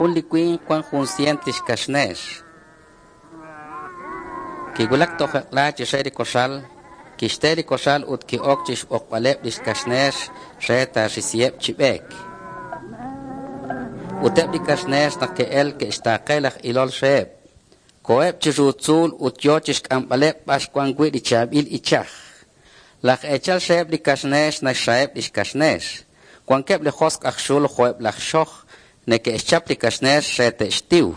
Jun li winq wank jun sient li xkaxneex. Kiwulak toj eq'la chi xe li koxal, kixte li koxal ut ki'ok chi xb'oqb'aleb' li xkaxneex re taaxisiheb' chi b'eek. Ut eb' li kaxneex naq ke'elk ke'xtaaqe laj ilol reheb'. Koheb' chiru tzuul ut yo chi xk'amb'aleb' b'ar wan wi' li chaab'il ichaj. Laj eechal reheb' li kaxneex naxraheb' li xkaxneex. Wankeb' li josq' aj xul jo'eb' laj xoj neke'xchap li kaxneex re te'xtiw.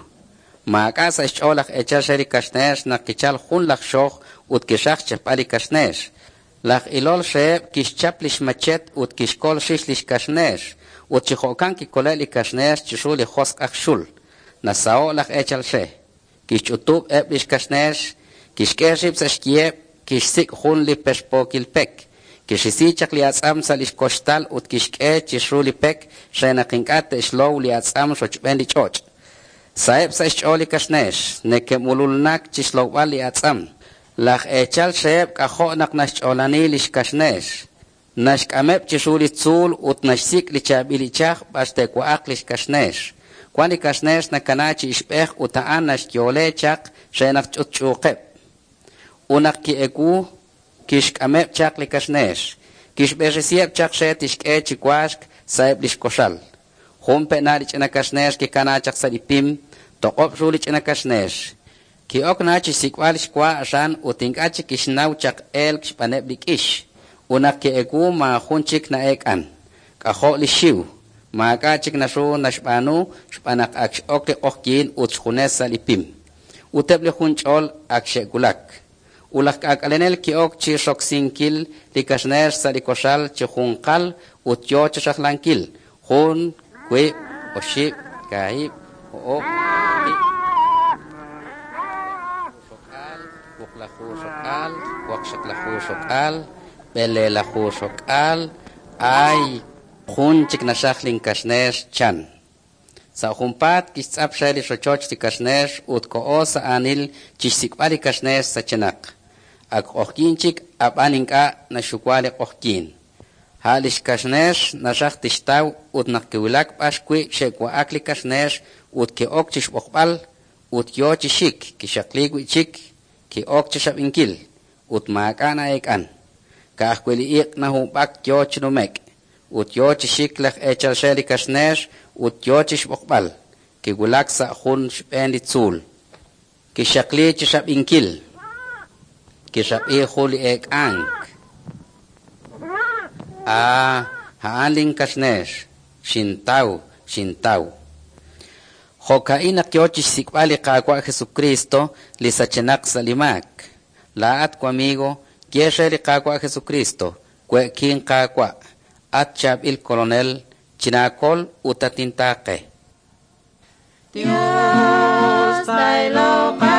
Maak'a' sa' xch'ool laj eechal re li kaxneex naq kichalk jun laj xoj ut kixaj xchapb'al li kaxneex. Laj ilol reheb' kixchap li xmachet ut kixkol rix li xkaxneex, ut chi jo'kan kikole'k li kaxneex chiru li josq' aj xul. Nasaho'k laj eechal re. Kixch'utub' eb' li xkaxneex, kixk'e rib' sa' xyiheb', kixsik' jun li perpookil pek, kixisi chaq li atz'am sa' li xkoxtal ut kixk'e chiru li pek re naq ink'a' te'xlow li atz'am rochb'een li ch'och'. Saheb' sa' xch'ool li kaxneex, neke'mululnak chi xlowb'al li atz'am. Laj eechal reheb' k'ajo' naq naxch'oolani li xkaxneex. Naxk'ameb' chiru li tzuul ut naxsik' li chaab'il ichaj b'ar te'wa'aq li xkaxneex. Wank li kaxneex nakanaak chi ixb'ej ut a'an naxyoole chaq re naq ch'utch'uuqeb'. Ut naq ki'ewu, kixk'ameb' chaq li kaxneex, kixb'eresiheb' chaq re tixk'e chi waaxk sa'eb' li xkoxal. Jun pe'na li ch'ina kaxneex kikanaak chaq sa' li pim, toq'ob' ru li ch'ina kaxneex. Ki'ok na chi xsik'b'al xwa aran ut ink'a' chik kixnaw chaq elk xb'aaneb' li k'ix. Ut naq ki'ewu maajun chik na'eek'an. K'ajo' li xxiw! Maak'a' chik naru naxb'aanu xb'aan naq ak x'ok li q'oqyink ut xjunes sa' li pim. Ut eb' li junch'ol ak xe'wulak. Ut laj k'aak'alenel ki'ok chi roksinkil li kaxneex sa' li koxal chi junqal ut yo chi rajlankil: jun, wiib', oxib', kaahib', o'ob', waqib', xok'aal, wuqlaju xok'aal, waqxaqlaju xok'aal, b'eleelaju xok'aal, ay, jun chik naxaj linkaxneex, chan. Sa' junpaat kixtz'ap re li rochoch li kaxneex ut koho sa' aanil chi xsik'b'al li kaxneex sachenaq. Ak q'oqyink chik, ab'an ink'a' naxxuwa li q'oqyink. A' li xkaxneex naraj tixtaw ut naq kiwulak b'ar wi' xe'wa'ak li kaxneex ut ki'ok chi xb'oqb'al, ut yo chi xik, kixaqliik wi' chik, ki'ok chi xab'inkil, ut maak'a' na'eek'an. Ka'ajwi' li iq' nahub'ak yo chi nume'k. Ut yo chi xik laj eechal re li kaxneex ut yo chi xb'oqb'al. Kiwulak sa' jun xb'een li tzuul. Kixaqliik chi xab'inkil. Kixab'i jun li eek'ank. Aa, a'an linkaxneex. Xintaw, xintaw. Jo'ka'in naq yo chi xsik'b'al li Qaawa' Jesucristo li sachenaq sa' li maak. Laa'at wamigo, ye re li Qaawa' Jesucristo, we'kin Qaawa', at chaab'il kolonel, chinaakol ut tatintaaqe. Dios, tailoq.